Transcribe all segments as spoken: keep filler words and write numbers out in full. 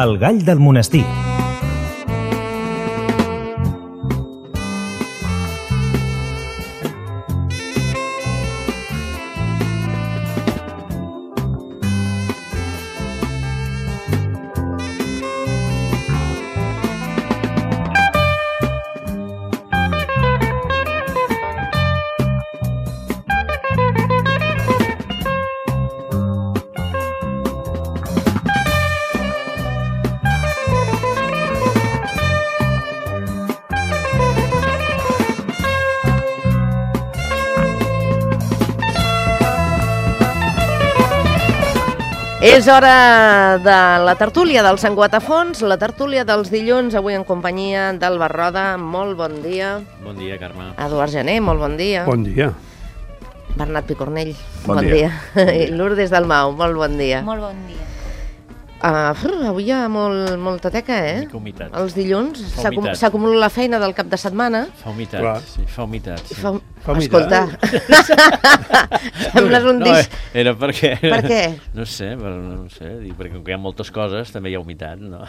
El gall del monestir. És hora de la tertúlia del Sant Guatafons, la tertúlia dels dilluns, avui en companyia d'Alba Roda. Molt bon dia. Bon dia, Carme. Eduard Gené, molt bon dia. Bon dia. Bernat Picornell, bon, bon dia. dia. I Lourdes Dalmau, molt bon dia. Molt bon dia. Uh, avui hi ha molt, molta teca, eh? Mica humitat. Els dilluns s'acumula la feina del cap de setmana. Fa humitat, Clar. sí, fa humitat. Sí. Fa, fa escolta, sembles un no, disc... No, era perquè... Per què? No sé, per, no sé, perquè com que hi ha moltes coses també hi ha humitat, no?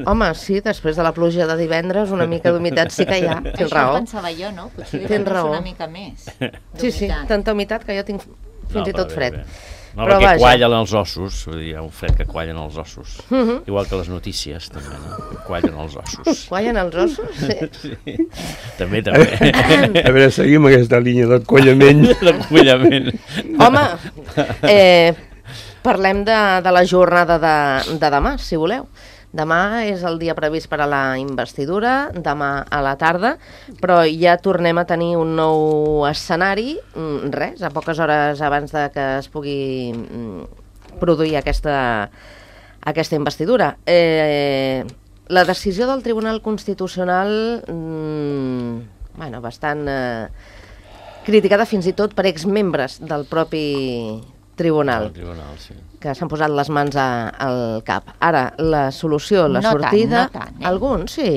Home, sí, després de la pluja de divendres una mica d'humitat sí que hi ha, tens Això raó. ho pensava jo, no? Potser Tens raó. una mica més Sí, sí, tanta humitat que jo tinc fins no, i tot bé, fred. Bé. No, Però perquè vaja. quallen els ossos, vull dir, hi ha un fred que quallen els ossos. Uh -huh. Igual que les notícies, també, no? Quallen els ossos. Quallen els ossos? Sí. Sí. També, també. A veure, seguim aquesta línia del collament. Del collament. Home, eh, parlem de, de la jornada de, de demà, si voleu. Demà és el dia previst per a la investidura, demà a la tarda, però ja tornem a tenir un nou escenari, res, a poques hores abans de que es pugui produir aquesta, aquesta investidura. Eh, la decisió del Tribunal Constitucional, mmm, bueno, bastant eh, criticada fins i tot per exmembres del propi tribunal, El tribunal, sí. que s'han posat les mans a, al cap. Ara, la solució, la no sortida... Tant, no tant, eh? Alguns, sí.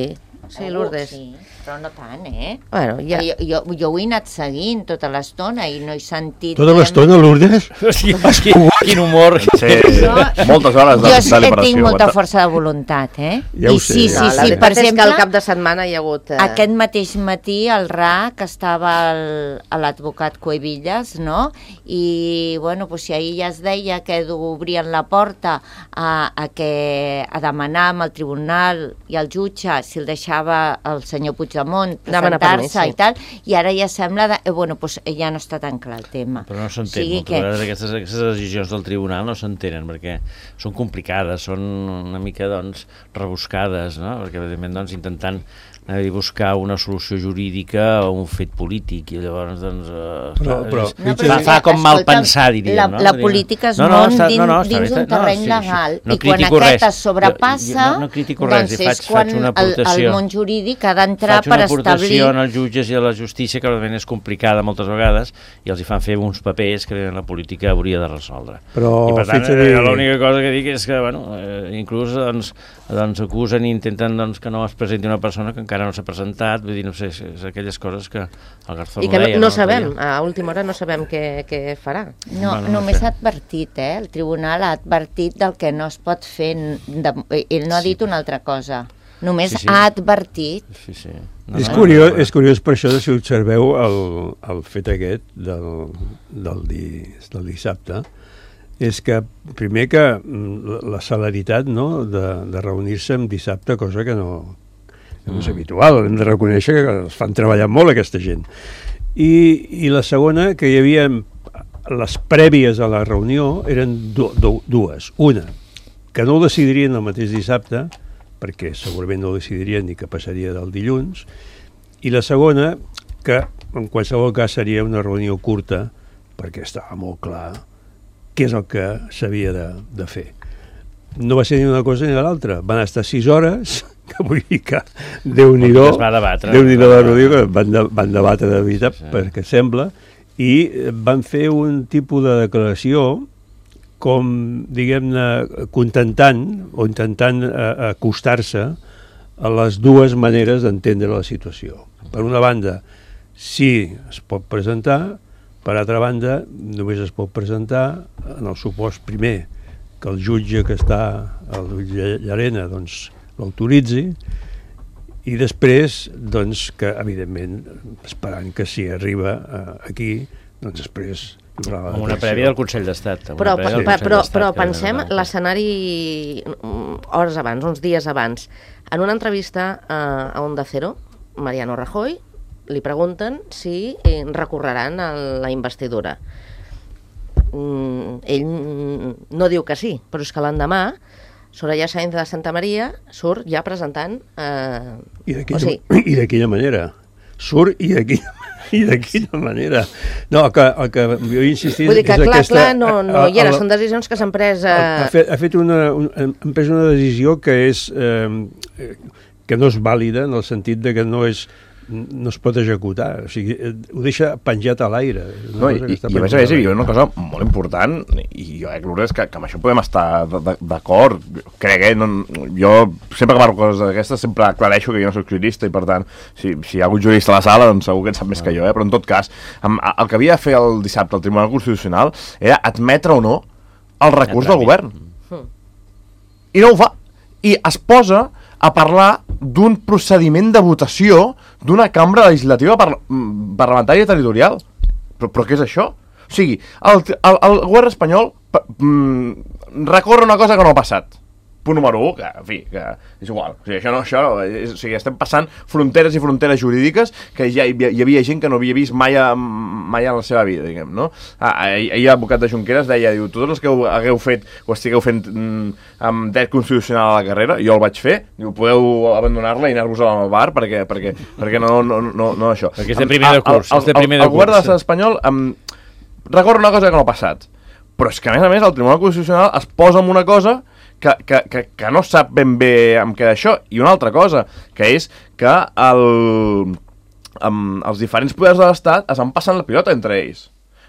Sí, Lourdes. Sí, però no tant, eh? Bueno, ja... Jo, jo, jo ho he anat seguint tota l'estona i no he sentit... Tota l'estona, Lourdes? Sí, quin, quin humor. Sí, moltes hores de Jo deliberació. tinc molta força de voluntat, eh? Ja ho I sé. sí, sí, no, la sí, veritat per és exemple... que al cap de setmana hi ha hagut... Eh... Aquest mateix matí el R A C estava el, a l'advocat Cuevillas, no? I, bueno, doncs si ahir ja es deia que obrien la porta a, a, que, a demanar amb el tribunal i el jutge si el deixava el senyor Puigdemont presentar-se sí. i tal, i ara ja sembla... De, eh, bueno, doncs ja no està tan clar el tema. Però no s'entén, sigui moltes que... vegades aquestes, aquestes decisions del tribunal no s'entenen, perquè són complicades, són una mica, doncs, rebuscades, no? Perquè, evidentment, doncs, intentant anar a buscar una solució jurídica o un fet polític, i llavors, doncs, eh, Però- fa, però- és- No, fa, fa com mal escolta, pensar, diríem, la, no? La política es no, no, mou està, dins, no, no, està dins bé, un terreny no, sí, legal, sí, no i quan critico aquest res. es sobrepassa, Jo- jo no, no critico res, doncs i faig, és quan faig una el, el aportació. món jurídic ha d'entrar Faig per una establir... aportació als jutges i a la justícia, que realment és complicada moltes vegades, i els hi fan fer uns papers que la política hauria de resoldre. Però I per tant, fixa-li- eh, l'única cosa que dic és que, bueno, eh, inclús doncs, doncs acusen i intenten doncs, que no es presenti una persona que encara no s'ha presentat, vull dir, no sé, és aquelles coses que el Garzón I que no, deia, no no sabem, a última hora no sabem què, què farà. No, Bueno, no només sé. ha advertit, eh? El tribunal ha advertit del que no es pot fer. De, ell no ha Sí. dit una altra cosa. Només Sí, sí. ha advertit. Sí, sí. No, És no, curiós, no, no. és curiós per això, si observeu el, el fet aquest del, del, di, del dissabte, és que primer que mm, la celeritat, no?, de, de reunir-se en dissabte, cosa que no, que no és habitual, hem de reconèixer que es fan treballar molt aquesta gent. I, i la segona, que hi havia les prèvies a la reunió eren du, du, dues. Una, que no ho decidirien el mateix dissabte, perquè segurament no ho decidirien ni que passaria del dilluns, i la segona, que en qualsevol cas seria una reunió curta, perquè estava molt clar què és el que s'havia de, de fer. No va ser ni una cosa ni l'altra, van estar sis hores, que vull dir que Déu-n'hi-do, Es va debatre. Déu-n'hi-do la reunió, que van, de, van debatre de veritat, Sí. perquè sembla, i van fer un tipus de declaració com, diguem-ne, contentant o intentant eh, acostar-se a les dues maneres d'entendre la situació. Per una banda, sí es pot presentar, per altra banda, només es pot presentar en el supòsit primer que el jutge que està, el jutge Llarena, doncs l'autoritzi, i després, doncs, que evidentment, esperant que si arriba eh, aquí, doncs després... Amb una prèvia del Consell d'Estat. Però, però, però, però pensem l'escenari hores abans, uns dies abans. En una entrevista a, a Onda Cero, Mariano Rajoy li pregunten si eh, recorreran a la investidura. Mm, ell no diu que sí, però és que l'endemà Soraya Sáenz de Santa Maria surt ja presentant... Eh, I de quina, o sigui, quina manera? Surt i de quina, i de quina manera? No, el que, el que jo he insistit... Vull dir que és clar, aquesta, clar, no, no hi era, el, són decisions que s'han pres... Eh... Ha fet, ha fet una, un, han pres una decisió que és... Eh, que no és vàlida en el sentit de que no és... no es pot executar, o sigui, ho deixa penjat a l'aire. No, i, i, i a més a més hi ha una cosa molt important, i jo crec, Lourdes, que, que amb això podem estar d'acord, crec, eh? No, jo sempre que parlo coses d'aquestes sempre aclareixo que jo no soc jurista i per tant, si, si hi ha algun jurista a la sala, doncs segur que en sap més que jo, eh? Però en tot cas, amb, el que havia de fer el dissabte el Tribunal Constitucional era admetre o no el recurs del govern. I no ho fa. I es posa a parlar d'un procediment de votació d'una cambra legislativa par parlamentària territorial. Però, però què és això? O sigui, el, el, el govern espanyol mm, recorre una cosa que no ha passat. Punt número u, que, en fi, que és igual. O sigui, això no, això, és, o sigui, estem passant fronteres i fronteres jurídiques que ja hi, hi havia gent que no havia vist mai, a, mai en la seva vida, diguem, no? Ah, ahir l'advocat de Junqueras deia, diu, tots els que hagueu fet o estigueu fent mm, amb dret constitucional a la carrera, jo el vaig fer, diu, podeu abandonar-la i anar-vos al bar perquè, perquè, perquè no, no, no, no això. Perquè és de primer de curs. El, el, el, el, el govern de l'estat espanyol um, recorre una cosa que no ha passat. Però és que, a més a més, el Tribunal Constitucional es posa en una cosa Que, que, que, que no sap ben bé amb què d'això. I una altra cosa, que és que el, um, els diferents poders de l'Estat es van passant la pilota entre ells.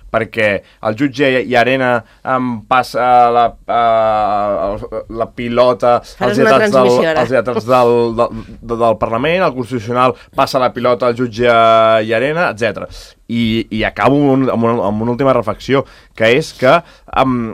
Perquè el jutge Llarena um, passa la, uh, la pilota als lletrats, del, als lletrats del, del, del, del Parlament, el Constitucional passa la pilota al jutge Llarena, etcètera. I, i acabo amb, amb, una, amb una última reflexió, que és que... Um,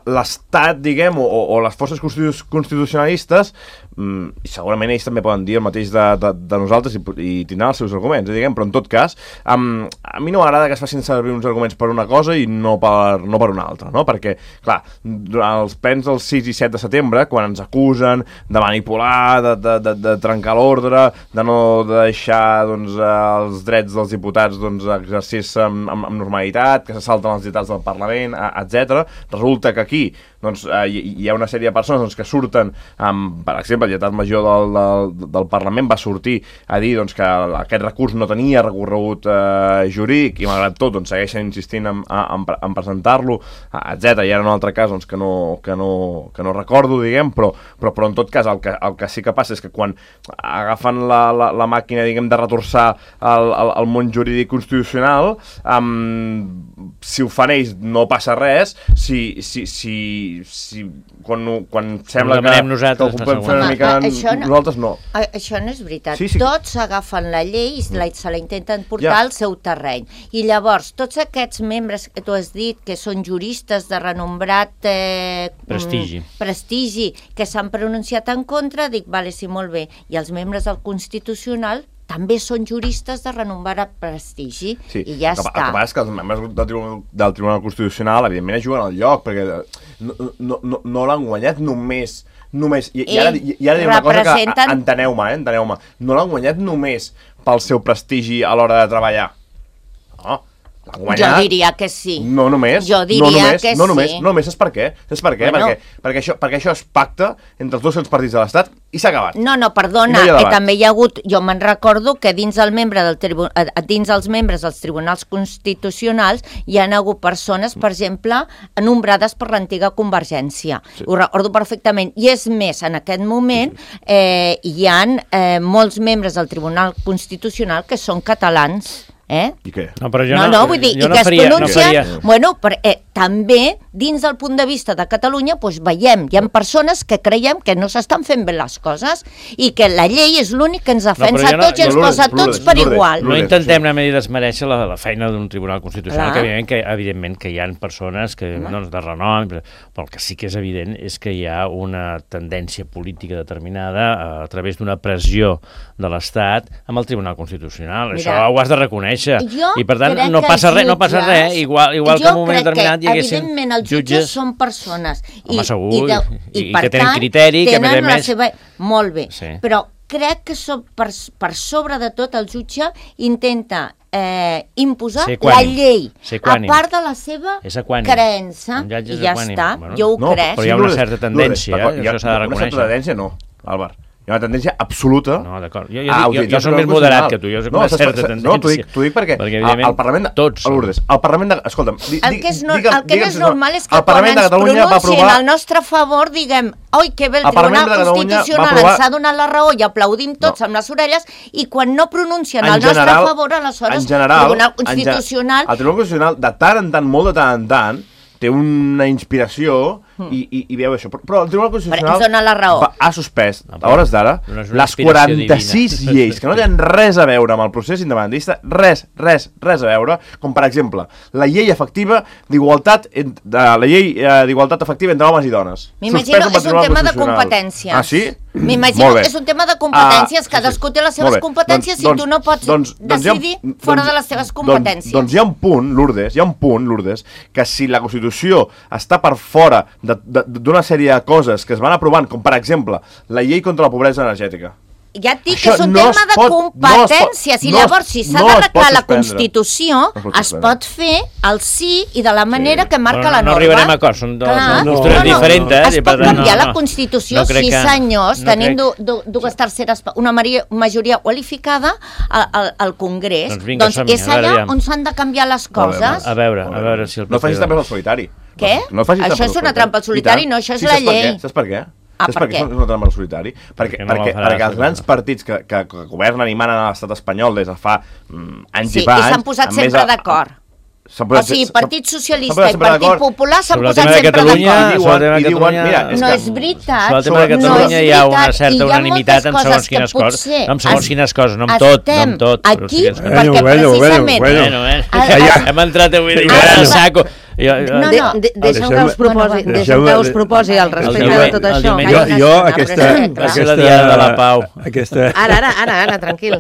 l'Estat, diguem, o, o les forces constitucionalistes, mm, i segurament ells també poden dir el mateix de, de, de nosaltres i, i tindran els seus arguments, diguem, però en tot cas, um, a mi no m'agrada que es facin servir uns arguments per una cosa i no per, no per una altra, no? Perquè, clar, durant els plens del sis i set de setembre, quan ens acusen de manipular, de, de, de, de trencar l'ordre, de no deixar doncs, els drets dels diputats doncs, exercir-se amb, amb, amb normalitat, que se salten els dictats del Parlament, etcètera, resulta que aquí doncs, eh, hi ha una sèrie de persones doncs, que surten, amb, per exemple, el lletrat major del, del, del Parlament va sortir a dir doncs, que aquest recurs no tenia recorregut eh, jurídic i malgrat tot doncs, segueixen insistint en, en, en presentar-lo, etcètera. I ara un altre cas doncs, que, no, que, no, que no recordo, diguem, però, però, però en tot cas el que, el que sí que passa és que quan agafen la, la, la màquina diguem, de retorçar el, el, el món jurídic constitucional, um, si ho fan ells no passa res, si, si, si si quan, quan sembla que, nosaltres, que ho podem fer una mica ah, això no, nosaltres no. Això no és veritat. Sí, sí. Tots agafen la llei i la, se la intenten portar ja. al seu terreny. I llavors, tots aquests membres que tu has dit, que són juristes de renombrat eh, prestigi. prestigi, que s'han pronunciat en contra, dic, vale, sí, molt bé. I els membres del Constitucional també són juristes de renombrat prestigi, sí. I ja el, està. El que passa és que els membres del Tribunal, del Tribunal Constitucional evidentment juguen al lloc, perquè no, no, no, no l'han guanyat només només, i, i ara, i, i ara diré una cosa que enteneu-me, eh, enteneu-me, no l'han guanyat només pel seu prestigi a l'hora de treballar. No, l'han guanyat... Jo diria que sí. No només. Jo diria no només, que no només, sí. No només, saps per què? Saps per què? Bueno. Perquè, perquè, això, perquè això es pacta entre els dos partits de l'Estat i s'ha acabat. No, no, perdona, no eh, també hi ha hagut, jo me'n recordo que dins, el membre del tribu, dins els membres dels tribunals constitucionals hi ha hagut persones, per exemple, nombrades per l'antiga Convergència. Sí. Ho recordo perfectament. I és més, en aquest moment eh, hi ha eh, molts membres del Tribunal Constitucional que són catalans. Eh? I què? No, però jo no, no, no, vull dir, jo i no que faria, es pronuncien, no faria. bueno, per, eh, també, dins del punt de vista de Catalunya, doncs veiem, hi ha persones que creiem que no s'estan fent bé les coses i que la llei és l'únic que ens defensa no, no, tots i ens no, posa Lourdes, tots per Lourdes, igual. No Lourdes, intentem sí. anar a desmereixer la, la feina d'un tribunal constitucional, Clar. que evidentment, que evidentment que hi ha persones que, doncs, de renom, però el que sí que és evident és que hi ha una tendència política determinada a, a través d'una pressió de l'Estat amb el Tribunal Constitucional. Mira, Això ho has de reconèixer. Jo I per tant crec no que passa els res, no passa jutges- res, igual, igual que jo en un moment crec determinat hi que, haguessin evidentment, els jutges són persones Home, i, segur, i, de, i- i, i per que tenen tant, criteri, que a més a tenen la més- seva... Molt bé, Sí. però crec que so, per, per sobre de tot el jutge intenta eh, imposar Ser la equànim, llei, ser a equànim. part de la seva És equànim. creença, Un jutge i és ja equànim. està, Bueno, jo ho No, crec. però hi ha una Lourdes, certa tendència, Lourdes, eh? hi ha- Això s'ha de Una reconèixer. certa tendència no, Àlvar. Hi ha una tendència absoluta. No, d'acord. Jo, jo, a dic, jo, utilitzar jo soc el més Tribunal moderat Constitucional. que tu, jo soc no, una saps- certa saps- tendència. No, t'ho dic, t'ho dic perquè, perquè al, evidentment, al Parlament de... tots a Lourdes, el Parlament de... Escolta'm, di, El que, és no, digue'm- el que no digue'm és si normal és que el quan Parlament de ens Catalunya va pronuncien aprovar... al nostre favor diguem oi, que bé, el El Parlament Tribunal de Catalunya va Constitucional aprovar- ens ha donat la raó i aplaudim tots No. amb les orelles, i quan no pronuncien En al nostre general- favor, aleshores en general, Tribunal en gen- Constitucional... El Tribunal Constitucional, de tant en tant, molt de tant en tant, té una inspiració i, i, i veu això. Però, però el Tribunal Constitucional ens dona la raó. va, ha suspès, No, a però hores d'ara, no és una les inspiració quaranta-sis divina. lleis que no tenen res a veure amb el procés independentista, res, res, res a veure, com per exemple, la llei efectiva d'igualtat, ent- de, la llei eh, d'igualtat efectiva entre homes i dones. M'imagino Suspesa pel és un Tribunal tema de Constitucional. competències. Ah, sí? M'imagino Molt bé. que és un tema de competències, Ah, que cadascú té les seves molt bé. competències Doncs- i tu no pots doncs- doncs hi ha un- decidir fora doncs- de les teves doncs- competències. Doncs hi ha un punt, Lourdes, hi ha un punt, Lourdes, que si la Constitució està per fora de- de- d'una sèrie de coses que es van aprovant, com per exemple la llei contra la pobresa energètica. Ja et dic Això que és un no tema es de pot- no es pot- competències i no es- llavors si s'ha no es pot d'arreglar la suspendre. Constitució No es pot es suspendre. pot fer al sí i de la manera que marca Però la no norma. arribarem a acords, són dos- Clar. són postures diferents, Es i pot per tant, canviar no, la no. Constitució, No crec sí que- senyors, no tenint crec- du, du, dues terceres, pa- una maria, majoria qualificada al, al, al Congrés. Doncs vinga, doncs som-hi, és a veure, allà aviam. on s'han de canviar les Molt bé, coses. A veure, a veure si el No facis paper, també el doncs. solitari. Què? No facis Això trampa al és una solitari. trampa al solitari, I tant. no, això és sí, la saps per llei. què? Saps per què? Ah, Saps per per què què? és una trampa al solitari? Perquè, Perquè no la perquè, faràs, perquè els no. grans partits que, que, que governen i manen a l'estat espanyol des de fa mm, anys Sí, i pa i s'han anys, posat a més sempre a- d'acord. s'han O posat- sigui, s'han- Partit s'han Socialista posat i sempre Partit d'acord. Popular s'han Sobre el posat tema de sempre Catalunya, d'acord. I sobre el diuen, tema i de diuen, Catalunya- mira, és No que... és veritat. Sobre el tema de No és Catalunya hi ha una veritat, certa i hi ha unanimitat en moltes segons coses quines que coses. potser No, en segons es- quines coses, no en tot, no en tot. però aquí sí que és- perquè Bueno, bueno, precisament... bueno, Bueno, bueno. Ah, Hem entrat avui Bueno. a saco. Jo, jo, No, De, no. de, deixa'm que Deixeu-me- us proposi, Bueno, deixa'm que deixeu-me- us proposi al El respecte diumenge- de tot el això. diumenge- Jo, Calla, jo calla, aquesta, però Va ser aquesta, la diada de la pau. Aquesta, Ara, ara, ara, ara, tranquil.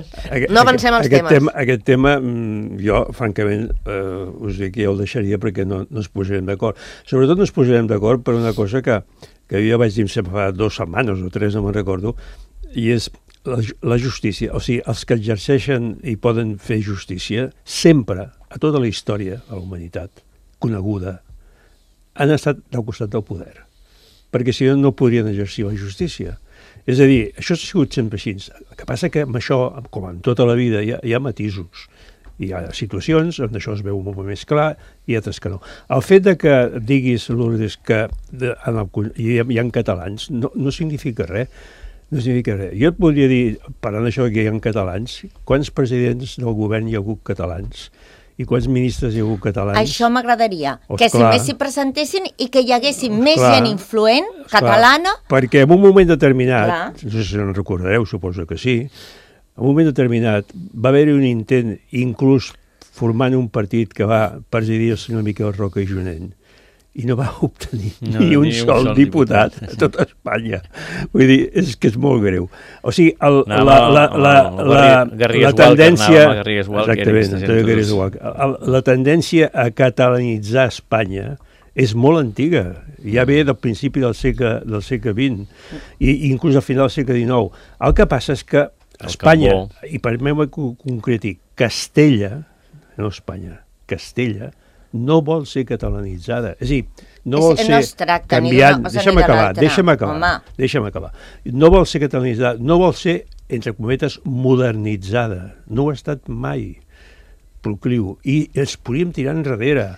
No avancem als aquest temes. Tema, aquest tema, mm, jo, francament, eh, us dic que ja el deixaria perquè no, no ens posarem d'acord. Sobretot no ens posarem d'acord per una cosa que, que jo vaig dir fa dues setmanes o tres, no me'n recordo, i és la, la justícia. O sigui, els que exerceixen i poden fer justícia, sempre, a tota la història de la humanitat coneguda, han estat del costat del poder, perquè si no, no podrien exercir la justícia. És a dir, això ha sigut sempre així. El que passa que amb això, com en tota la vida, hi ha, hi ha matisos. Hi ha situacions on això es veu molt més clar i altres que no. El fet de que diguis, Lourdes, que de, en el, hi, ha, hi ha catalans, no, no significa res. No significa res. Jo et podria dir, parlant d'això que hi ha catalans, quants presidents del govern hi ha hagut catalans? I quants ministres hi ha hagut catalans? Això m'agradaria, Oh, que si esclar. més s'hi presentessin i que hi haguessin més Esclar. gent influent, Esclar, catalana, perquè en un moment determinat, Clar. no sé si en recordareu, suposo que sí, en un moment determinat va haver-hi un intent, inclús formant un partit que va presidir el senyor Miquel Roca i Junent, i no va obtenir No, ni un ni un sol sol diputat diputat. a tota Espanya. Vull dir, és que és molt greu. O sigui, el, Anava la, la, amb la, el la, Garri- Garrigues la tendència... Walker, anava amb el Garrigues Walker, Exactament, aquesta gent, Antonio Garrigues tots. Walker. El- la tendència a catalanitzar Espanya és molt antiga, ja ve del principi del segle, del segle vint, i inclús al final del segle dinou. El que passa és que Espanya, cambó. i permeteu-me que ho concreti, Castella, no Espanya, Castella, no vol ser catalanitzada. És a dir, no És- vol no ser es tracta ni canviant... d'una cosa Deixa'm ni de acabar, l'altra. deixa'm acabar, Home. deixa'm acabar. No vol ser catalanitzada, no vol ser, entre cometes, modernitzada. No ho ha estat mai procliu. I ens podíem tirar enrere.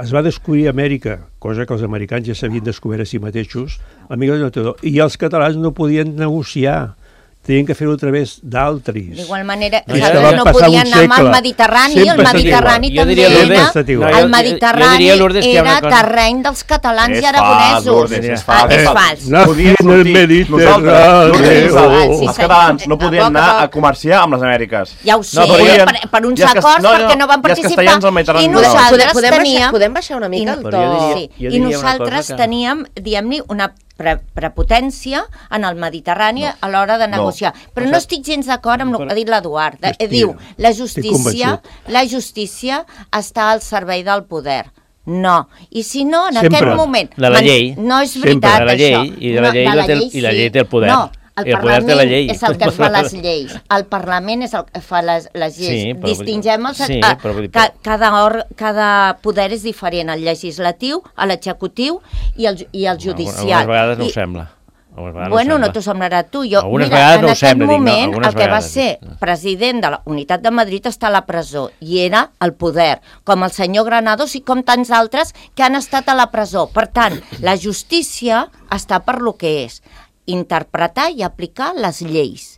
Es va descobrir Amèrica, cosa que els americans ja s'havien descobert a si mateixos, el mil nou-cents noranta-dos, i els catalans no podien negociar. tenien que fer-ho a través d'altres. D'igual manera, No, no, ja- no, ja no passava podien un anar amb el segle. Mediterrani, Sempre el ha estat Mediterrani igual. Jo també diria, Lourdes, era, ha estat igual. No, jo- el jo Mediterrani diria, Lourdes, que hi ha una era cosa- terreny dels catalans És i aragonesos. fals, Lourdes, és Ah, fals. és fals. Nací en el Mediterrani. Lourdes, Els sí, sí. catalans no A podien poc a anar poc. a comerciar amb les Amèriques. Ja ho sé, No, podien- per, per uns i els cas- acords no, no, perquè no van i els participar. castellans al Mediterrani I no. nosaltres Podem, podem, teníem... baixar, podem baixar una mica I- el to? Però jo diria- Sí, jo i diria una nosaltres cosa que- teníem, diguem-ne, una pre prepotència en el Mediterrani No. a l'hora de No. negociar. Però O no sigui- estic gens d'acord amb el que ha dit l'Eduard. Eh, Hòstia, Diu, la estic justícia, convençut. la justícia està al servei del poder. No. I si no, en Sempre. aquest moment... De la man- llei. No és Sempre. veritat, De la llei, això. i de la No, llei la té el- i la sí. llei té el poder. No, el, I el poder té Parlament la llei. és el que fa les lleis. El Parlament és el que fa les, les lleis. Sí, però- Distingem els... sí, ah, però vull dir- ca, cada, or, cada poder és diferent, el legislatiu, l'executiu i el, i el judicial. Algunes vegades no I, ho sembla. Algunes vegades Bueno, no, no ho t'ho sembla. semblarà tu. Jo, Algunes mira, vegades en no ho aquest sembla, dic, no, moment, algunes el que va vegades, ser dic. president de la Unitat de Madrid està a la presó i era el poder, com el senyor Granados i com tants altres que han estat a la presó. Per tant, la justícia està per lo que és, interpretar i aplicar les lleis.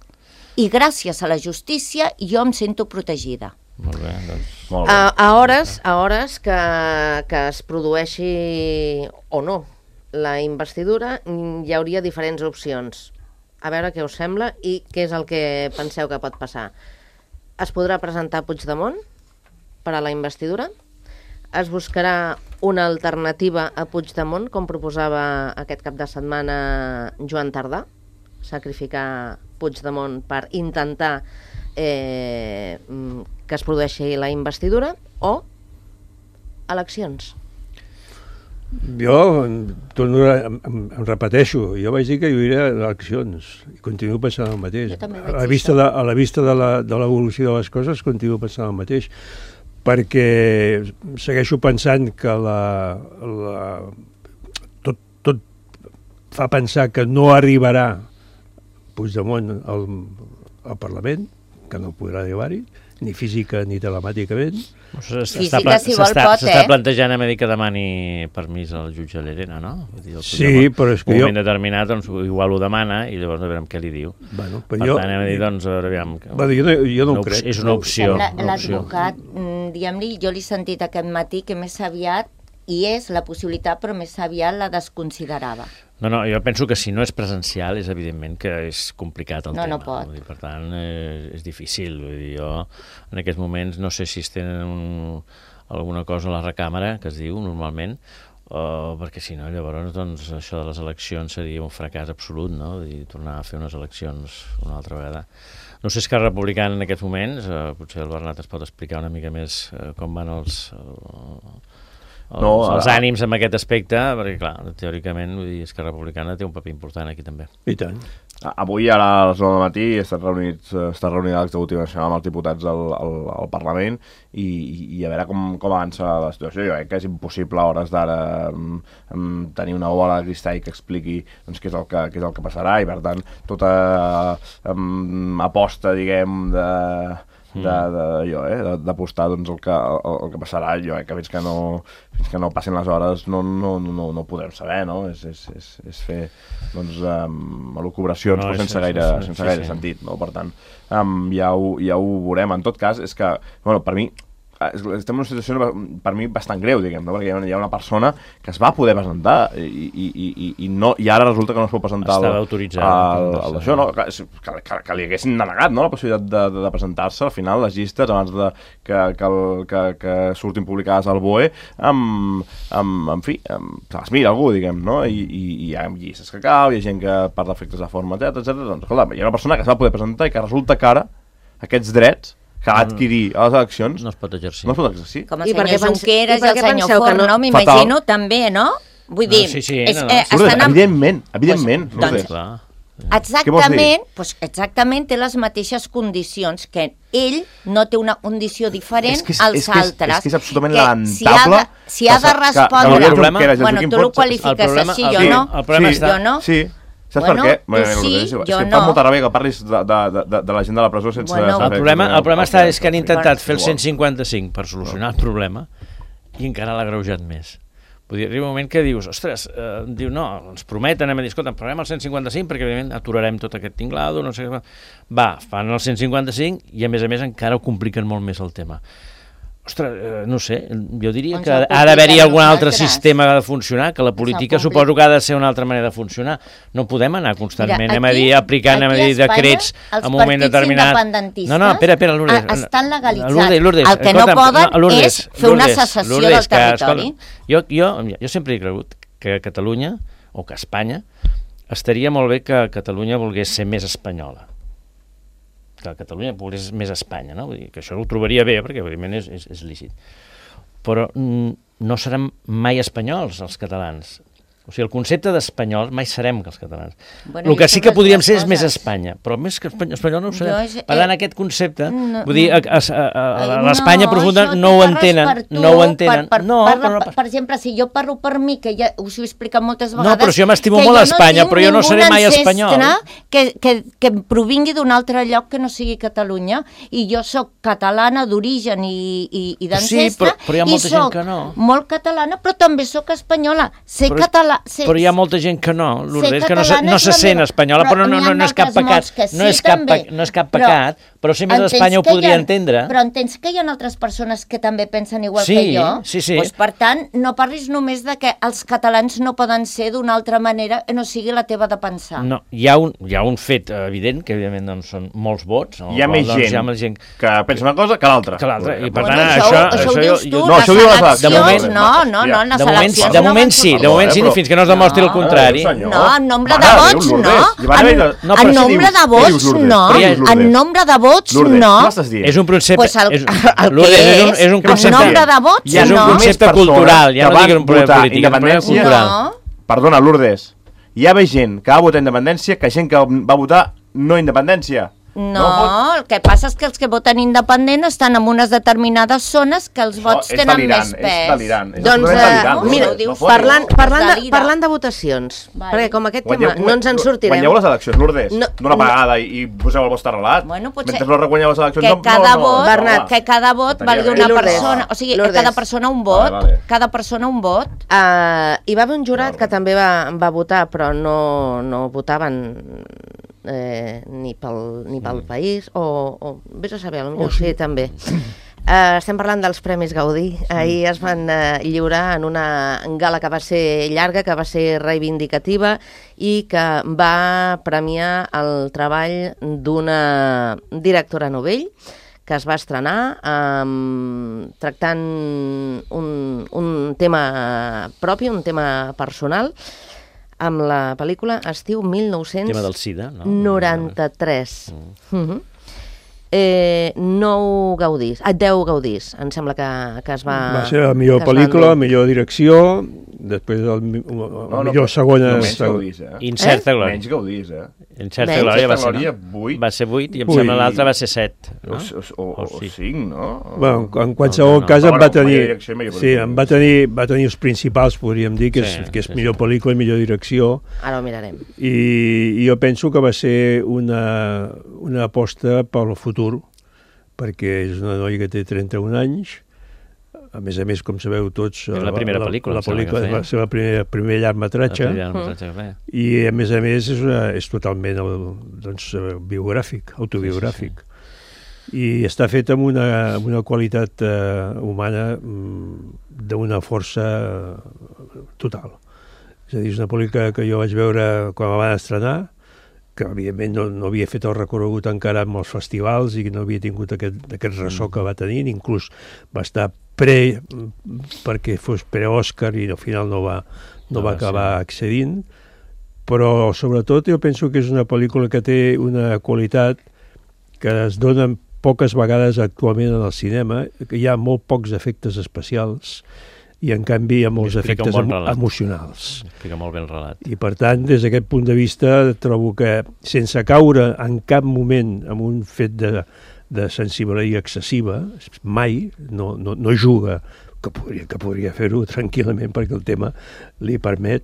I gràcies a la justícia jo em sento protegida. Molt bé, doncs... Molt bé. A, a hores, a hores que, que es produeixi o no la investidura, mm, hi hauria diferents opcions. A veure què us sembla i què és el que penseu que pot passar. Es podrà presentar Puigdemont per a la investidura? Es buscarà una alternativa a Puigdemont, com proposava aquest cap de setmana Joan Tardà? Sacrificar Puigdemont per intentar eh, mm, que es produeixi la investidura? O eleccions? Jo em, torno a, em, em, em repeteixo, jo vaig dir que hi hauria eleccions i continuo pensant el mateix. Jo també vaig A la dir vista, això. de, a la vista de la- de l'evolució de, de les coses continuo pensant el mateix, perquè segueixo pensant que la, la, tot, tot fa pensar que no arribarà Puigdemont al, al Parlament, que no podrà arribar-hi, ni física ni telemàticament. Física, si vol, s'està pot, s'està eh? plantejant a dir que demani permís al jutge Llerena, no? Vull dir, el Sí, Puigdemont, però és que un jo- moment determinat, doncs, igual ho demana i llavors a veure què li diu. Bueno, Per però jo, tant, hem de dir, doncs, a veure, aviam... que- bueno, jo, no, jo no una ho crec. opció- És una opció. La- una opció. L'advocat, mm, diguem-li, jo l'he sentit aquest matí que més aviat hi és la possibilitat, però més aviat la desconsiderava. No, no, jo penso que si no és presencial és evidentment que és complicat el No, tema. no pot. Vull dir, per tant, eh, és difícil. Vull dir, jo en aquests moments no sé si es tenen un, alguna cosa a la recàmera, que es diu normalment, o perquè si no, llavors doncs, això de les eleccions seria un fracàs absolut, no? Vull dir, tornar a fer unes eleccions una altra vegada. No sé si Esquerra Republicana en aquests moments, eh, potser el Bernat es pot explicar una mica més eh, com van els... Eh, els, No, els ara- ànims en aquest aspecte, perquè clar, teòricament vull dir, Esquerra Republicana té un paper important aquí també. I tant. Avui, ara a les nou del matí, està reunit, està reunida l'executiva nacional amb els diputats al, al, al Parlament i, i a veure com, com avança la situació. Jo crec que és impossible a hores d'ara um, um, tenir una bola de cristall que expliqui doncs, què, és el que, què és el que passarà i, per tant, tota um, aposta, diguem, de de, de, allò, eh, de, d'apostar doncs, el, que, el, el que passarà, jo eh, que fins que no fins que no passin les hores no, no, no, no ho podrem saber, no? És, és, és, és fer doncs, um, elucubracions No, però és- sense és- gaire, és- sense sí, gaire sí. sentit, no? Per tant, um, ja, ho, ja ho veurem. En tot cas, és que, bueno, per mi és- estem en una situació per mi bastant greu, diguem, no? Perquè hi ha, hi ha una persona que es va poder presentar i, i, i, i, no, i ara resulta que no es pot presentar Estava al- autoritzat. al, al d'això, no? Que, que, que, que li haguessin denegat, no? La possibilitat de, de, de presentar-se al final les llistes abans de que, que, el, que, que surtin publicades al B O E amb, amb, en fi, amb, se les mira algú, diguem, no? I, i, i hi ha llistes que cau, hi ha gent que per defectes de forma, etcètera, etcètera. Doncs, escolta, hi ha una persona que es va poder presentar i que resulta que ara aquests drets que va adquirir a les eleccions No es pot exercir. no es pot exercir. Com el I per senyor què pens- Junqueras i i per el què senyor penseu que no- Forn, no? M'imagino també, no? Vull No, dir, sí, sí, és, no, no. eh, Lourdes, estan amb... evidentment, evidentment. Pues, doncs, Lourdes. Clar. Exactament, doncs exactament té les mateixes condicions que ell no té una condició diferent És que és- als és que és- altres. és que és absolutament Que si ha de, lamentable si ha que- de que- que respondre... l'Oriol problema- Junqueras i el bueno, Joaquim tu ho Forn- qualifiques el problema- així, el- jo sí, no. el problema sí, està- Jo no. Sí. Saps Bueno, per què? tu Bueno, sí, Lourdes, és jo que em no. fa molta ràbia que parlis de, de, de, de la gent de la presó sense... Bueno. saber El problema, exactament el problema està és que han sí. intentat fer el Igual. cent cinquanta-cinc per solucionar el problema i encara l'ha greujat més. Vull dir, arriba un moment que dius, ostres, eh, diu, no, ens prometen, anem a dir, escolta, parlem el cent cinquanta-cinc perquè, evidentment, aturarem tot aquest tinglado, no sé què. Va, fan el cent cinquanta-cinc i, a més a més, encara ho compliquen molt més el tema. Ostres, eh, no sé, jo diria Doncs que el ha d'haver-hi compliquen algun altre nosaltres. sistema de funcionar, que la política complica. suposo que ha de ser una altra manera de funcionar. No podem anar constantment, Mira, anem a aquí- dir, aplicant, anem a aquí a dir, Espanya, decrets els en un moment partits determinat. independentistes No, no, espera, espera, Lourdes. a- estan legalitzats. Lourdes, Lourdes, El que no escolta'm, poden Lourdes, és fer una Lourdes, secessió Lourdes, del que, territori. escolta, jo, jo, jo sempre he cregut que Catalunya, o que Espanya, estaria molt bé que Catalunya volgués ser més espanyola. Que Catalunya volgués més Espanya, no? Vull dir que això ho trobaria bé, perquè evidentment és, és, és lícit. Però mm, no serem mai espanyols, els catalans. O sigui, el concepte d'espanyols mai serem que els catalans. Bueno, El que jo sí són que les podríem dues ser és més coses. Espanya, però més que espanyol, espanyol no ho serem. Jo és- Per tant, eh, aquest concepte, no, vull dir, a, a, a, a, a l'Espanya No, profunda això no té ho res entenen, per tu, no ho entenen. Per, per, no, parla, però no, per, per exemple, si jo parlo per mi, que ja us ho he explicat moltes No, vegades... però si jo m'estimo que molt a jo Espanya, tinc però jo no seré ningú mai ancestre espanyol. Que, que, que em provingui d'un altre lloc que no sigui Catalunya, i jo sóc catalana d'origen i, i, i d'ancestre, Sí, però- però hi ha molta i gent soc que no. molt catalana, però també sóc espanyola. Ser Però- català... Ser, Però hi ha molta gent que no, Lourdes, que no, se, catalana no és se la sent meva- espanyola, però, no, no, n'hi no, ha no és cap d'altres pecat, molts que no, és sí, cap, també. pe- no és cap Però pecat, però ser més entens d'Espanya ho que hi podria ha- entendre. Però entens que hi ha altres persones que també pensen igual Sí, que jo? sí, sí. Pues, per tant, no parlis només de que els catalans no poden ser d'una altra manera que no sigui la teva de pensar. No, hi ha un, hi ha un fet evident, que evidentment doncs, són molts vots. No? Hi ha més doncs, gent, hi ha més gent que pensa una cosa que l'altra. que l'altra. I per Bueno, tant, això, això... això, ho això dius jo- tu, jo- no, les això ho diu les eleccions, eleccions. no, no, no, les de moment, eleccions de no moment van sí, de sortir. moment sí, Però- fins que no es demostri el No, contrari. senyor. No, en nombre Mare de de vots Déu, no. Lourdes. I van haver En, de- No, però en què nombre dius? de Què vots dius, Lourdes? no. Què dius, Lourdes? En nombre de vots Lourdes, no. què m'estàs dient? És un concepte... Pues el, és, el que Lourdes, és un, és, és un en concepte... nombre de vots Ja és un no. concepte Només cultural, ja persones no que dic un van problema votar polític, és un problema independència. cultural. No. Perdona, Lourdes, hi ha gent que va votar independència que gent que va votar no independència. No, el que passa és que els que voten independent estan en unes determinades zones que els vots és tenen delirant, més és pes. delirant, és Doncs, absolutament eh, delirant, mira, Lourdes, no fotis. parlant, parlant, de, Delira. parlant de votacions, Vale. perquè com aquest Guanyeu- tema no ens en sortirem... Guanyeu les eleccions, Lourdes, No, d'una no. vegada i, i poseu el vostre relat. Bueno, potser Mentre no reguanyeu les eleccions... que no, cada no, no, vot, no, Bernat, va. que cada vot Estaria valgui bé. una I Lourdes, persona, o sigui, Lourdes. cada persona un vot, Vale, vale. cada persona un vot. Uh, hi va haver un jurat que també va, va votar, però no, no votaven eh, ni pel, ni pel país, o, o vés a saber, potser Oh, sí. sí, també. Uh, estem parlant dels Premis Gaudí. Ahir es van uh, lliurar en una gala que va ser llarga, que va ser reivindicativa i que va premiar el treball d'una directora novell que es va estrenar um, tractant un, un tema propi, un tema personal, amb la pel·lícula Estiu mil nou-cents Tema del SIDA, no? noranta-tres. Mm. Mm-hmm. Eh, nou gaudís, ah, deu gaudís, em sembla que, que es va... Va ser la millor que es van pel·lícula, dur. millor direcció, després el, mi- el No, no, millor segona... no, menys seg- gaudís, eh? Incerta Eh? glòria. Menys gaudís, eh? Incerta Menys. glòria va ser, Glòria, no? vuit. Va ser vuit i em Vuit. sembla l'altra va ser set. O, No? o, o, o, O sí. cinc, no? Bueno, en, en qualsevol No, no, no. cas Però em va bueno, tenir... millor direcció i millor Sí, pel·lícula. em va tenir, va tenir els principals, podríem dir, que és, Sí, que és sí, millor sí. pel·lícula i millor direcció, Ara ho mirarem. i, i jo penso que va ser una, una aposta pel futur, perquè és una noia que té trenta-un anys, a més a més, com sabeu tots... És la primera pel·lícula, La, em sembla que pel·lícula feia. va ser la primera, primer llargmetratge, La primera que feia. i a més a més és, una, és totalment el, doncs, eh, biogràfic, autobiogràfic. I està fet amb una, amb una qualitat eh, humana mm, d'una força eh, total. És a dir, és una pel·lícula que jo vaig veure quan la van estrenar, que evidentment no, no havia fet el recorregut encara amb els festivals i no havia tingut aquest, aquest ressò que va tenir, inclús va estar pre, perquè fos pre-Òscar i al final no va, no No va va acabar accedint, però sobretot jo penso que és una pel·lícula que té una qualitat que es dona poques vegades actualment en el cinema, que hi ha molt pocs efectes especials i en canvi hi ha molts Explica un efectes bon emo relat. emocionals. Explica molt bé el relat. I per tant, des d'aquest punt de vista, trobo que sense caure en cap moment en un fet de, de sensibilitat excessiva, mai, no, no, no juga, que podria, que podria fer-ho tranquil·lament perquè el tema li permet,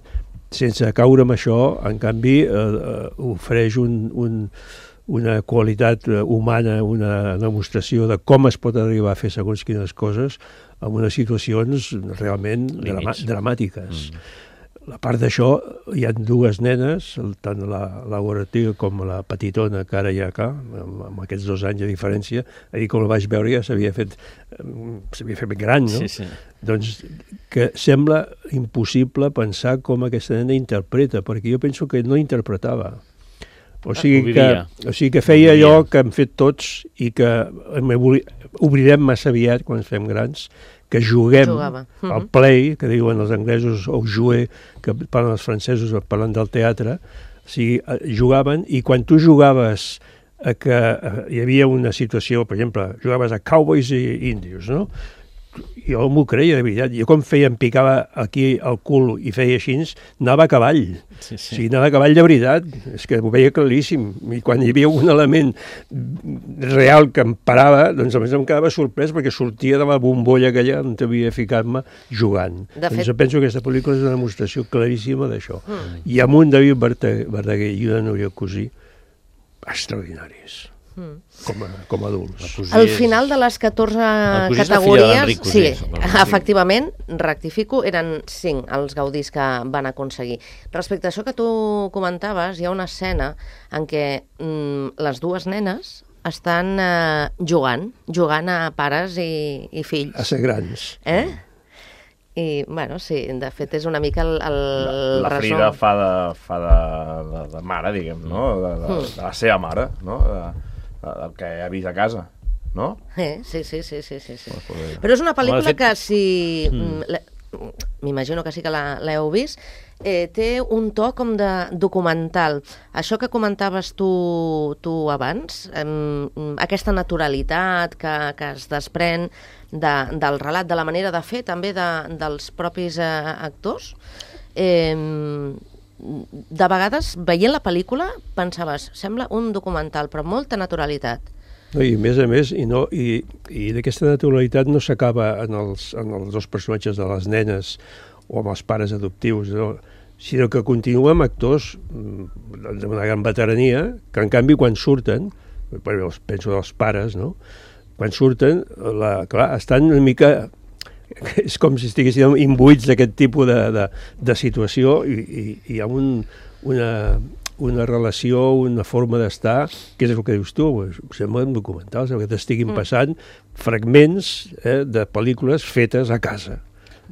sense caure en això, en canvi, eh, eh, ofereix un, un, una qualitat humana, una demostració de com es pot arribar a fer segons quines coses en unes situacions realment drama dramàtiques. Mm. A part d'això, hi ha dues nenes, tant la, la Ortiga com la petitona que ara hi ha acá, amb, amb aquests dos anys de diferència, ahir com la vaig veure ja s'havia fet, s'havia fet gran, no? Sí, sí. Doncs que sembla impossible pensar com aquesta nena interpreta, perquè jo penso que no interpretava. O sigui, que, o sigui que feia allò que hem fet tots i que obrirem massa aviat quan ens fem grans, que juguem Jugava. al play, que diuen els anglesos, o jouer, que parlen els francesos, parlen del teatre, o sigui, jugaven, i quan tu jugaves a que hi havia una situació, per exemple, jugaves a Cowboys i Índios, no? Jo m'ho creia, de veritat. Jo quan feia, em picava aquí el cul i feia així, anava a cavall. Sí, sí. O sigui, anava a cavall de veritat. És que ho veia claríssim. I quan hi havia un element real que em parava, doncs a més em quedava sorprès perquè sortia de la bombolla aquella on havia ficat-me jugant. De doncs fet... jo penso que aquesta pel·lícula és una demostració claríssima d'això. Mm. I amb un David Verdaguer i una Núria Cosí extraordinaris. Mm. Com, a, com a adults. Al final de les catorze categories, sí, efectivament, rectifico, eren cinc els gaudís que van aconseguir. Respecte a això que tu comentaves, hi ha una escena en què mm, les dues nenes estan eh, jugant, jugant a pares i, i fills. A ser grans. Eh? I, bueno, sí, de fet és una mica el, el la, la Frida fa, de, fa de, de, de mare, diguem, no? De, de, de, de la seva mare, no? De, el que ha vist a casa, no? Eh, sí, sí, sí, sí, sí, sí. Però és una pel·lícula que si... Mm. M'imagino que sí que l'heu vist, eh, té un to com de documental. Això que comentaves tu, tu abans, eh, aquesta naturalitat que, que es desprèn de, del relat, de la manera de fer també de, dels propis eh, actors, eh, de vegades, veient la pel·lícula, pensaves, sembla un documental, però amb molta naturalitat. No, i a més a més, i, no, i, i d'aquesta naturalitat no s'acaba en, els, en els dos personatges de les nenes o amb els pares adoptius, no? Sinó que continua amb actors d'una gran veterania, que en canvi quan surten, penso dels pares, no? Quan surten, la, clar, estan una mica... és com si estiguessin imbuïts d'aquest tipus de, de, de situació i, i, i hi ha un, una, una relació, una forma d'estar, que és el que dius tu, sembla un documental, sembla que t'estiguin mm. passant fragments eh, de pel·lícules fetes a casa.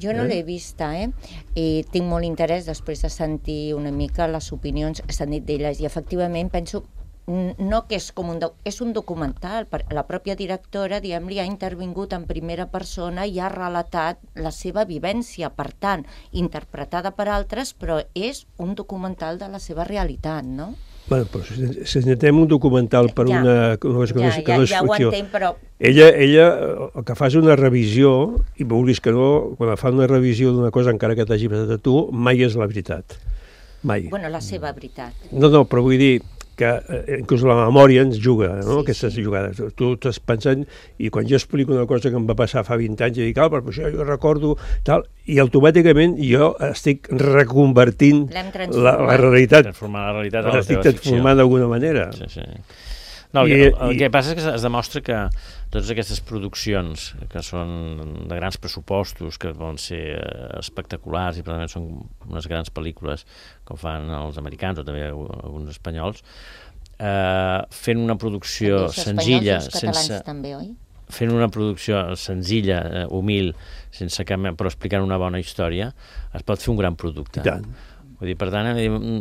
Jo no eh? l'he vista, eh? I tinc molt interès després de sentir una mica les opinions que s'han dit d'elles i efectivament penso no que és com un, és un documental, la pròpia directora, diguem-li, ha intervingut en primera persona i ha relatat la seva vivència, per tant, interpretada per altres, però és un documental de la seva realitat, no? Bueno, però si necessitem un documental per ja, una, una cosa que, ja, no, que ja, no és ja ficció. Ho entenc, però... Ella, ella, el que fa és una revisió, i vulguis que no, quan fa una revisió d'una cosa, encara que t'hagi passat a tu, mai és la veritat. Mai. Bueno, la seva veritat. No, no, però vull dir que eh, inclús la memòria ens juga, no? Sí, aquestes sí. jugades. Tu estàs pensant, i quan jo explico una cosa que em va passar fa vint anys, i dic, ah, però això jo recordo, tal, i automàticament jo estic reconvertint la, la realitat. Transformant la realitat a la teva ficció. Transformant d'alguna manera. Sí, sí. No, el, I, el, el que passa és que es demostra que totes aquestes produccions que són de grans pressupostos, que poden ser espectaculars i probablement són unes grans pel·lícules com fan els americans o també alguns espanyols, eh, fent una producció senzilla, sense, també, oi? fent una producció senzilla, eh, humil, sense cap, però explicant una bona història, es pot fer un gran producte. I tant. Vull dir, per tant,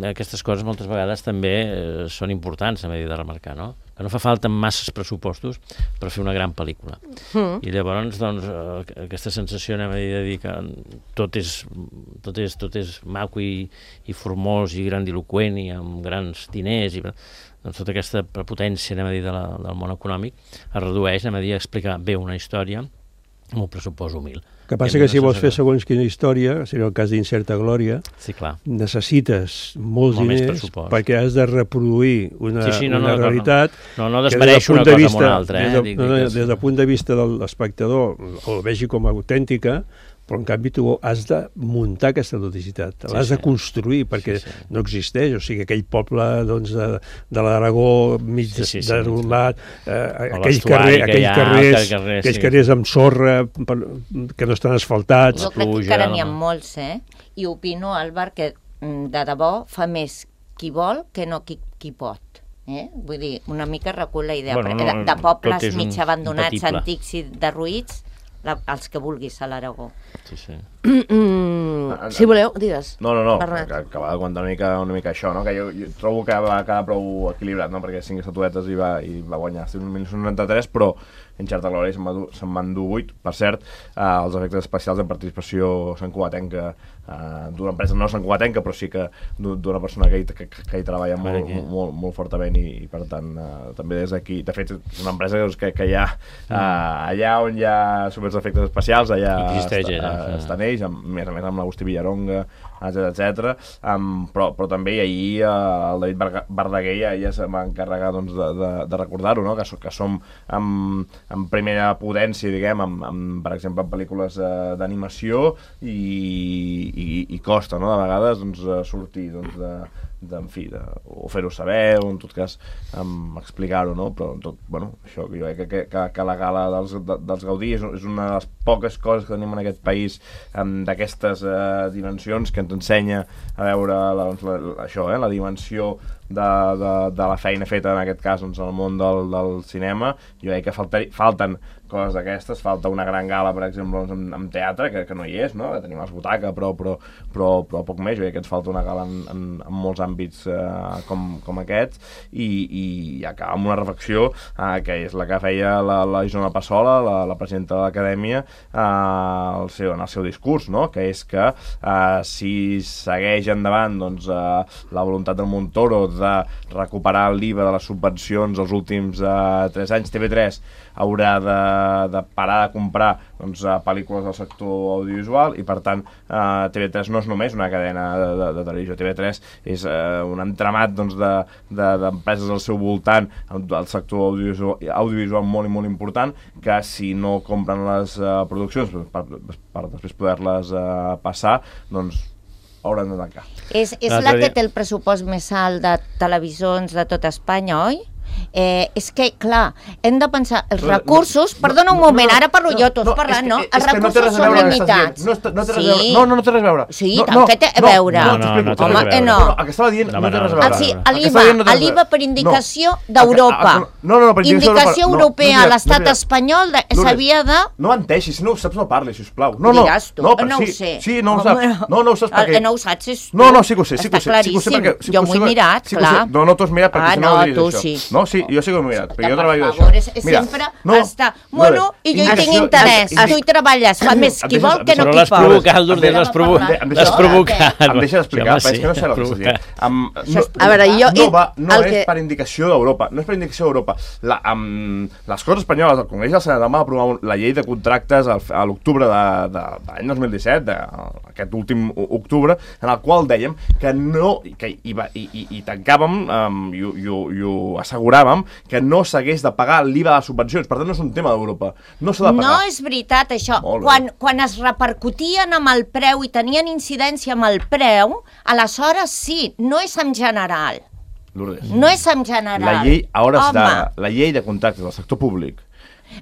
aquestes coses moltes vegades també eh, són importants, a dir, de remarcar, no? Que no fa falta masses pressupostos per fer una gran pel·lícula. Mm. I llavors, doncs, aquesta sensació, anem a dir, de dir que tot és, tot és, tot és maco i, i formós i grandiloquent i amb grans diners, i doncs tota aquesta prepotència, anem a dir, de la, del món econòmic es redueix, anem a dir, a explicar bé una història amb un pressupost humil. El que passa que si vols fer segons quina història, seria el cas d'Incerta Glòria, sí, clar. Necessites molts Molt diners perquè has de reproduir una, sí, sí, no, una no, realitat no, no, no desmereixo una cosa amb una altra. Eh? Des, de, no, no, des del punt de vista de l'espectador el vegi com a autèntica, però en canvi tu has de muntar aquesta duplicitat, Sí, l'has sí. de construir, perquè Sí, sí. no existeix, o sigui, aquell poble doncs, de, de l'Aragó mig Sí, sí, sí. derrumat, eh, O aquell l'estuari carrer, que aquells hi ha, carrers, aquell carrer, aquells sí. carrers amb sorra per, que no estan asfaltats. Jo crec que pluja, encara n'hi ha no? molts, eh? I opino, Àlvar, que mm, de debò fa més qui vol que no qui, qui pot. Eh? Vull dir, una mica recull la idea. Bueno, Bueno, no, de, de pobles tot és un mig abandonats, impatible. antics i derruïts, la, els que vulguis a l'Aragó. Sí, sí. Mm, si voleu, digues. No, no, no, Bernat. que, que va de comptar una mica, una mica això, no? Que jo, jo trobo que va quedar prou equilibrat, no? Perquè cinc estatuetes i va, i va guanyar mil nou-cents noranta-tres, però en certa glòria se'n va dur- se'n van dur vuit. Per cert, eh, els efectes especials de participació santcugatenca, eh, d'una empresa no santcugatenca, però sí que d'u- d'una persona que hi, que, que hi treballa molt, Aquí. molt, molt fortament i, i per tant, eh, també des d'aquí, de fet, és una empresa doncs, que, que hi ha eh, allà on hi ha super efectes especials, allà Existeix, està, allà, eh, sí. estan ells, amb, a més a més amb l'Agustí Villaronga, etcètera, etcètera. Um, però, però també ahir uh, el David Barga- Verdaguer ja, ja se va encarregar doncs, de, de, de recordar-ho, no? que, so, que som en, en primera potència, diguem, amb, amb, per exemple, en pel·lícules uh, d'animació i, i, i costa, no? de vegades, doncs, uh, sortir doncs, de, de, en fi, de, o fer-ho saber, o en tot cas um, explicar-ho, no? Però tot, bueno, això, jo crec que, que, que la gala dels, de, dels Gaudí és, és una de les poques coses que tenim en aquest país um, d'aquestes uh, dimensions que ens ensenya a veure la, doncs, la, la, això, eh, la dimensió de, de, de la feina feta en aquest cas doncs, en el món del, del cinema. Jo crec que falta, falten coses d'aquestes, falta una gran gala, per exemple, doncs, amb, amb teatre, que, que no hi és, no? Que tenim els butaca, però, però, però, però poc més. Jo crec que ens falta una gala en, en, en molts àmbits eh, com, com aquest, i, i acaba amb una reflexió eh, que és la que feia la, la Isona Passola, la, la presidenta de l'Acadèmia, eh, el seu, en el seu discurs, no? Que és que eh, si segueix endavant doncs, eh, la voluntat del Montoro de recuperar l'I V A de les subvencions els últims eh, tres anys, T V tres haurà de, de parar de comprar doncs, uh, pel·lícules del sector audiovisual i per tant uh, T V tres no és només una cadena de, de, de televisió, T V tres és uh, un entramat doncs, d'empreses de, de, al seu voltant del sector audiovisual, audiovisual molt i molt important que si no compren les uh, produccions per, per després poder-les uh, passar, doncs hauran de tancar. És, és L'altre la que dia- té el pressupost més alt de televisions de tot Espanya, oi? Eh, és que, clar, hem de pensar, els No, recursos, no, perdona un no, moment, no, ara parlo no, jo, tu has no, parlat, és que- no? és Els que no té recursos res a són veure el que estàs limitats. dient. No, està- no té res a Sí. veure. No, no, no té res a veure. Sí, no, tant no, que té a no, veure. No, No, no, t'explico. no té res a Home, veure. eh, no. No, el que estava dient No, no, té no, res a no, veure. no, Ah, sí, no. El que l'I V estava A, dient no té res a l'I V A veure. per indicació No. d'Europa. No, no, no, per indicació Indicació d'Europa. No, europea no, a no, l'estat no, espanyol de- Lourdes, s'havia de... No menteixis, si no ho saps no parlis, sisplau. No, no, Diràs tu, no, però no ho sí, sé. Sí, no ho Home, saps. No, no ho saps el perquè... que no ho saps és tu. No, no, sí que ho sé, sí que ho Està sé. Sí que ho sé claríssim. perquè... Sí que Jo ho m'ho sé he perquè- mirat, sí que ho sé. clar. No, no t'ho has mirat perquè Ah, si no, no, no diries tu això. sí. No, sí, jo sí que ho he mirat, perquè jo Per treballo favor, d'això. és, sempre no, està... Bueno, i jo hi tinc indicació- interès. indi- Tu hi treballes, fa més qui vol que no Però qui l'has pot. provocat, Lourdes, Em l'has provo- deixa- em deixa- l'has provocat. Em deixa d'explicar, Sí, home, però és que no sé el que sí, estàs dient. Am, no, A veure, jo- no, va, no el és que- per indicació d'Europa, no és per indicació d'Europa. La, am, les Corts Espanyoles, el Congrés del Senat van aprovar un- la llei de contractes al, a l'octubre de, de, de l'any dos mil disset, de, aquest últim o- octubre, en el qual dèiem que no, que hi, va, i, i, i tancàvem um, i, ho- i, ho- i ho asseguràvem que no s'hagués de pagar l'I V A de les subvencions. Per tant, no és un tema d'Europa. No s'ha de pagar. No és veritat, això. Molt bé. Quan, quan es repercutien amb el preu i tenien incidència amb el preu, aleshores sí, no és en general. Lourdes. No és en general. La llei, a hores Home, d'ara, la llei de contractes del sector públic.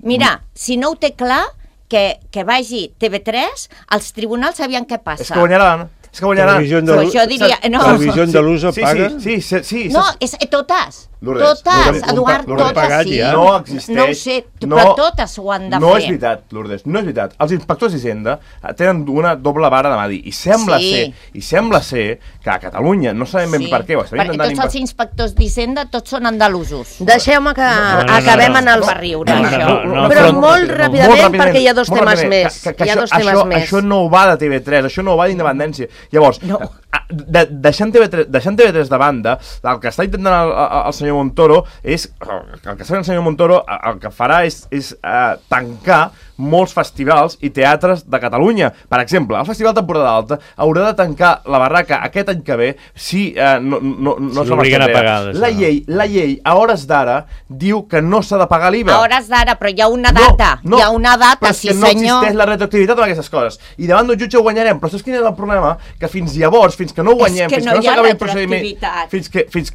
Mira, si no ho té clar, que, que vagi T V tres, els tribunals sabien què passa. És que guanyaran. És que guanyaran. Televisió Però andalusa, això diria... No, Televisió andalusa sí, paga. Sí, sí, sí, sí, no sí. és, eh, totes. Lourdes, totes, Lourdes, Eduard, Lourdes, totes pagat sí. ja. No existeix. No ho sé, no, però totes ho han de no fer. és veritat, Lourdes, no és veritat. Els inspectors d'Hisenda tenen una doble vara de mà dir. I sembla Sí. ser, i sembla ser que a Catalunya, no sabem ben Sí, per què, ho estem perquè intentant... tots els inspectors d'Hisenda tots són andalusos. Deixeu-me que no, no, acabem no, en el... no, per riure, no, això. no, no, Però però- molt ràpidament, perquè hi ha dos molt temes ràpidament, més. que- que Hi ha això- dos temes això, més. Això no va de T V tres, això no va d'independència. Llavors, No. a- de, deixant, T V tres, deixant T V tres de banda, el que està intentant el, el, el senyor senyor Montoro és... El que farà el senyor Montoro el que farà és, és uh, tancar molts festivals i teatres de Catalunya. Per exemple, el Festival Temporada Alta haurà de tancar la barraca aquest any que ve si uh, no, no, no si l'obliguen a pagar. La llei, la llei, a hores d'ara, diu que no s'ha de pagar l'I V A. A hores d'ara, però hi ha una data. No, no, hi ha una data, sí senyor. senyor. No existeix la retroactivitat amb aquestes coses. I davant d'un jutge ho guanyarem. Però saps quin és el problema? Que fins llavors, fins que no ho guanyem, que fins no que no s'acabi el procediment... Fins que... Fins,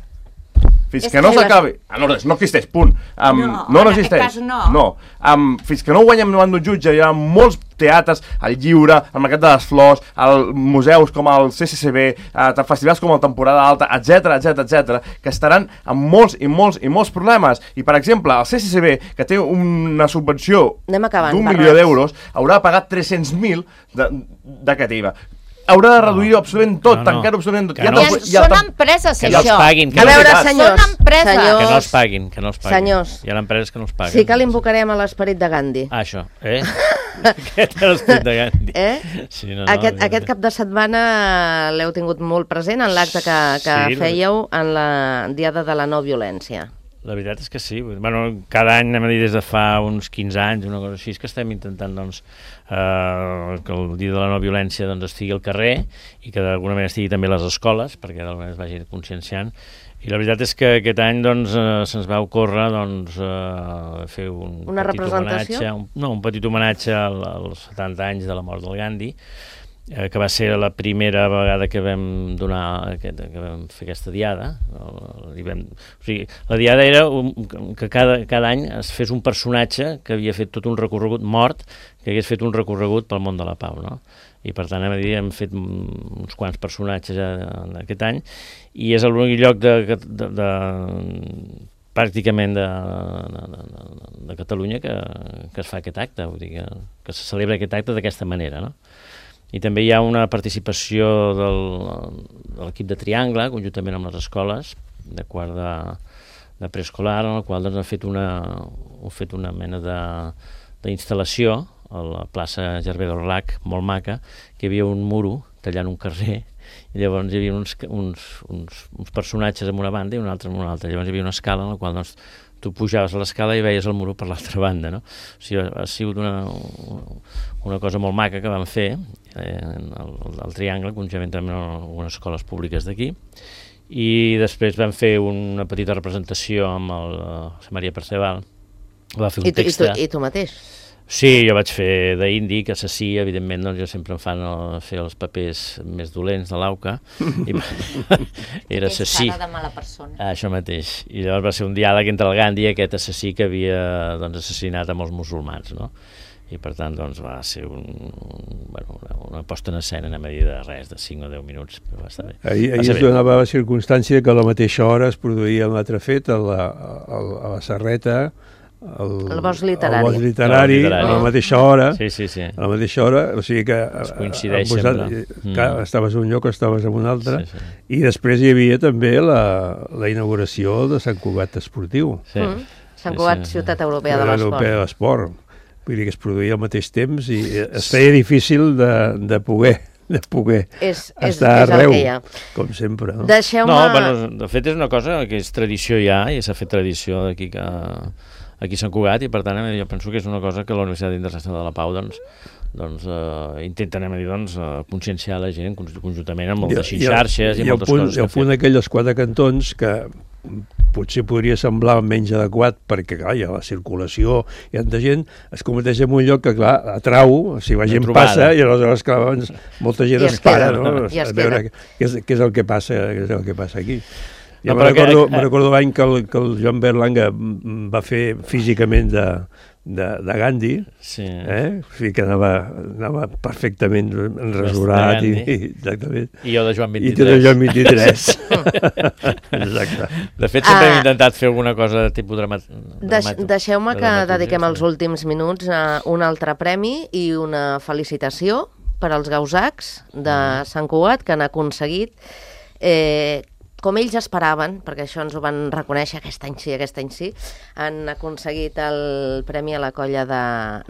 fins és que no que s'acabi... Ah, no, res, no existeix, punt. Um, no, no, no en existeix. aquest cas no. No. Um, fins que no ho guanyem davant d'un jutge, hi ha molts teatres, el Lliure, el Mercat de les Flors, el museus com el C C C B, eh, festivals com el Temporada Alta, etc etc etc, que estaran amb molts i molts i molts problemes. I, per exemple, el C C C B, que té una subvenció d'un milió d'euros, haurà de pagar tres-cents mil d'aquest I V A. Haurà de reduir no, absolutament tot, no, no, tancar-ho absolutament tot. Ja no, ja, ja són empreses, que això. No paguin, que a veure, no senyors, són empreses. senyors, que no els paguin, que no els paguin. Senyors, hi ha empreses que no els paguen. Sí que l'invocarem a l'esperit de Gandhi. Ah, això, eh? Aquest és l'esperit de Gandhi. Eh? Sí, no, no, aquest, aquest cap de setmana l'heu tingut molt present en l'acte que, que sí, fèieu en la Diada de la No Violència. La veritat és que sí. Bueno, cada any, anem a dir, des de fa uns quinze anys, una cosa així, que estem intentant doncs, eh, que el dia de la no violència doncs, estigui al carrer i que d'alguna manera estigui també a les escoles, perquè d'alguna manera es vagi conscienciant. I la veritat és que aquest any doncs, eh, se'ns va ocórrer doncs, eh, fer un Una petit representació? homenatge, un, no, un petit homenatge al, als setanta anys de la mort del Gandhi, eh, que va ser la primera vegada que vam donar aquest, que vam fer aquesta diada. I vam, o sigui, la diada era un, que cada, cada any es fes un personatge que havia fet tot un recorregut mort, que hagués fet un recorregut pel món de la pau, no? I per tant, hem, dir, hem fet uns quants personatges ja aquest any, i és l'únic lloc de, de, de, de pràcticament de, de, de, de Catalunya que, que es fa aquest acte, vull dir que, que se celebra aquest acte d'aquesta manera, no? I també hi ha una participació del, de l'equip de Triangle, conjuntament amb les escoles, de quart de, de preescolar, en el qual doncs, han fet una, han fet una mena d'instal·lació a la plaça Gervé d'Orlac, molt maca, que hi havia un muro tallant un carrer, i llavors hi havia uns, uns, uns, uns personatges en una banda i un altre en una altra. Llavors hi havia una escala en la qual doncs, tu pujaves a l'escala i veies el muro per l'altra banda, no? O sigui, ha sigut una, una cosa molt maca que vam fer eh, al, al Triangle, conjuntament amb algunes escoles públiques d'aquí, i després vam fer una petita representació amb el uh, Maria Perceval, va fer un I tu, text... I tu, i tu mateix? Sí, jo vaig fer d'índic, assassí, evidentment, doncs jo sempre em fan el, fer els papers més dolents de l'Auca. Era assassí. És cara de mala persona. Ah, això mateix. I llavors va ser un diàleg entre el Gandhi i aquest assassí que havia doncs, assassinat a molts musulmans, no? I per tant doncs, va ser un, un, bueno, una, una posta en escena, anem a dir, de res, de cinc o deu minuts, però va estar bé. Ahir, ahir es donava la circumstància que a la mateixa hora es produïa un altre fet a la, a, a la Serreta, el, el bosc literari, el bosc literari, el literari. a la mateixa hora, sí, sí, sí. a la mateixa hora, o sigui que es coincideix posat, sempre. Que mm. estaves en un lloc, estaves en un altre, sí, sí. I després hi havia també la, la inauguració de Sant Cugat Esportiu. Sí. Mm. Sant Cugat, sí, sí. Ciutat Europea de l'Esport. Europea de l'Esport. Vull dir que es produïa al mateix temps i es feia difícil de, de poder de poder és, estar és, és arreu, com sempre. No? Deixeu-me... No, bueno, de fet és una cosa que és tradició ja, i s'ha fet tradició d'aquí que aquí a Sant Cugat, i per tant jo penso que és una cosa que la Universitat Internacional de la Pau doncs, doncs eh, intenta, anem a dir, doncs, uh, conscienciar la gent conjuntament amb moltes I, xarxes i, i, i moltes punt, coses que ha fet. I el punt d'aquells quatre cantons que potser podria semblar menys adequat perquè, clar, hi ha la circulació, hi ha tanta gent, es converteix en un lloc que, clar, atrau, si la gent passa, i aleshores, clar, doncs, molta gent es, es para, no? I es a veure què és, què és el que passa, què és el que passa aquí. Jo no, me recordo, que... me recordo l'any que, el, que el Joan Berlanga va fer físicament de, de, de Gandhi, sí. eh? O sigui que anava, anava perfectament enrasurat i, i, exactament. I jo de Joan vint-i-tres. I tu de Joan vint-i-tres. Exacte. De fet, sempre ah. hem intentat fer alguna cosa de tipus dramat... Deix, Deixeu-me que dediquem els últims minuts a un altre premi i una felicitació per als gausacs de Sant Cugat que han aconseguit eh, com ells esperaven, perquè això ens ho van reconèixer aquest any sí, aquest any sí, han aconseguit el Premi a la Colla de,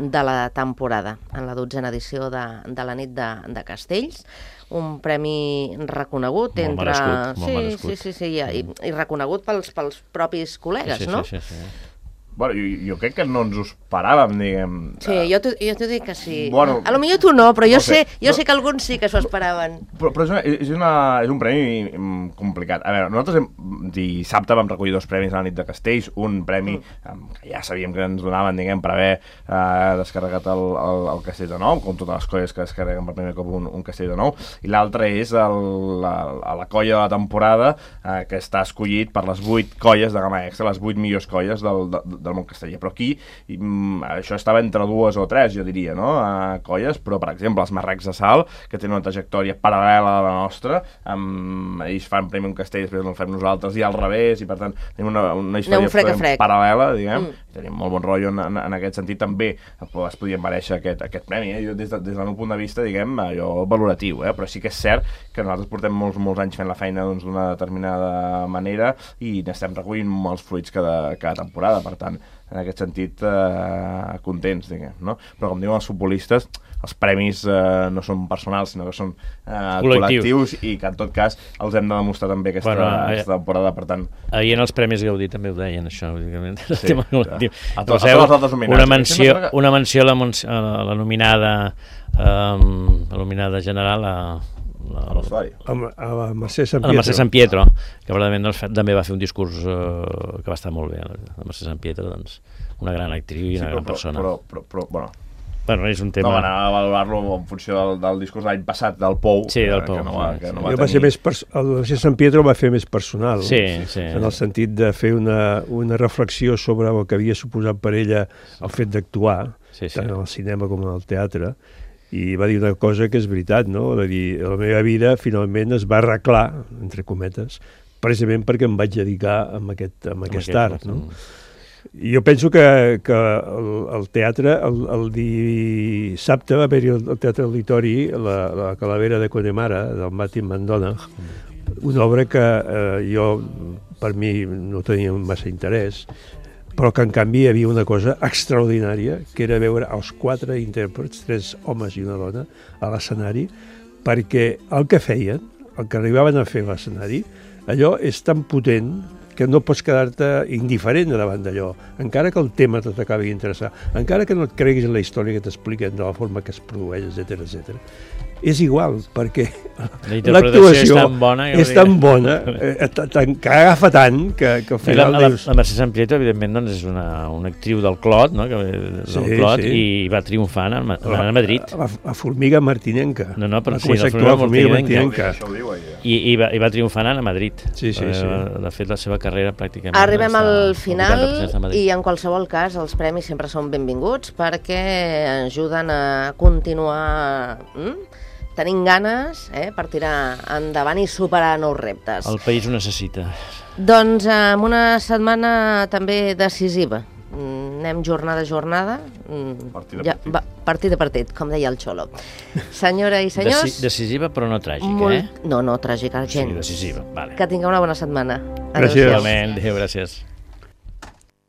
de la temporada, en la dotzena edició de, de la nit de, de Castells, un premi reconegut Molt entre... merescut, molt sí, merescut. sí, sí, sí, i, i reconegut pels, pels propis col·legues, sí, sí, no? Sí, sí, sí. Bueno, jo, jo crec que no ens ho esperàvem, diguem. Sí, jo t'ho jo t'ho dic que sí. Bueno, a lo millor tu no, però jo, no sé. sé, jo No. sé que alguns sí que s'ho esperaven. Però, però és, una, és, una, és un premi mm, complicat. A veure, nosaltres hem, dissabte vam recollir dos premis a la nit de Castells, un premi mm. que ja sabíem que ens donaven, diguem, per haver eh, descarregat el, el, el Castell de Nou, com totes les colles que descarreguen per primer cop un, un Castell de Nou, i l'altre és el, la, a la colla de la temporada eh, que està escollit per les vuit colles de gamma extra, les vuit millors colles del, de, del món casteller. Però aquí i, mm, això estava entre dues o tres, jo diria, no? A colles, però per exemple els Marrecs de Sal, que tenen una trajectòria paral·lela a la nostra, amb, ells fan primer un castell, després el fem nosaltres, i al revés, i per tant tenim una, una història frec a frec. paral·lela, diguem, Mm. tenim molt bon rotllo en, en, en aquest sentit, també es podien mereixer aquest, aquest premi, eh? Jo, des, de, des del meu punt de vista, diguem, allò valoratiu, eh? Però sí que és cert que nosaltres portem molts, molts anys fent la feina doncs, d'una determinada manera i n'estem recollint molts fruits cada, cada temporada, per tant, en aquest sentit, eh, contents, diguem, no? Però com diuen els futbolistes, els premis eh, no són personals, sinó que són eh, Col·lectius. col·lectius i que en tot cas els hem de demostrar també aquesta, Bueno, bueno, eh, aquesta temporada, per tant... Ahir en els Premis Gaudí també ho deien, això. El Sí, tema clar. col·lectiu. A to- a Poseu tots els altres homenatges. una menció, Sempre que- una menció a la, mons- a la, a la nominada um, a la nominada general a, A a, l'Ostari. A, a la Mercè Sant a la Mercè Pietro. Sant Pietro, que probablement doncs, fa- també va fer un discurs uh, que va estar molt bé. La Mercè Sant Pietro, doncs, una gran actriu i una gran persona. Però, però, però, bueno, Bueno, és un no, tema... va anar a valorar-lo en funció del, del discurs de l'any passat, del Pou, Sí, del que, Pou, que no va, sí, que no sí. va Jo tenir... va ser més pers- el Mercè Sant Pietro va fer més personal, Sí, sí. en el sentit de fer una, una reflexió sobre el que havia suposat per ella el fet d'actuar, Sí, sí. tant en el cinema com en el teatre, i va dir una cosa que és veritat, no? Va dir, la meva vida finalment es va arreglar, entre cometes, precisament perquè em vaig dedicar a aquest, a aquest art, no? I jo penso que, que el, el teatre, el, el dissabte va haver-hi el, el Teatre Auditori, la, la Calavera de Connemara, del Martin McDonagh, una obra que eh, jo, per mi, no tenia massa interès, però que en canvi hi havia una cosa extraordinària, que era veure els quatre intèrprets, tres homes i una dona, a l'escenari, perquè el que feien, el que arribaven a fer a l'escenari, allò és tan potent que no pots quedar-te indiferent davant d'allò, encara que el tema te t'acabi d'interessar, encara que no et creguis en la història que t'expliquen de la forma que es produeix, etcètera, etcètera. És igual, perquè La interpretació l'actuació és tan bona que és vull tan dir- bona, eh, ta- tan- que agafa tant, que, que al La, final la, dius... la Mercè Sant Pietro, evidentment, doncs, és una, una actriu del Clot, no? que, del Sí, Clot, sí. i va triomfant a, Ma- a Madrid. La, la formiga martinenca. No, no, però Va sí, començar la a actuar la formiga formiga martinenca. martinenca. Això ho diu, ella. I, i, va, i va triomfant a Madrid. Sí, sí, sí. Eh, de fet, la seva carrera pràcticament... Arribem està al vuitanta final per cent a Madrid. i en qualsevol cas els premis sempre són benvinguts perquè ajuden a continuar mm, tenint ganes eh, per tirar endavant i superar nous reptes. El país ho necessita. Doncs amb una setmana també decisiva. Mm, anem jornada a jornada. Mm, Partit a ja, partit. va, partit a partit, com deia el Xolo. Senyora i senyors... Deci decisiva però no tràgica, molt... eh? No, no, tràgica, Sí, gens. decisiva, vale. Que tingueu una bona setmana. Gràcies. Adéu-siau. Igualment, adéu, gràcies.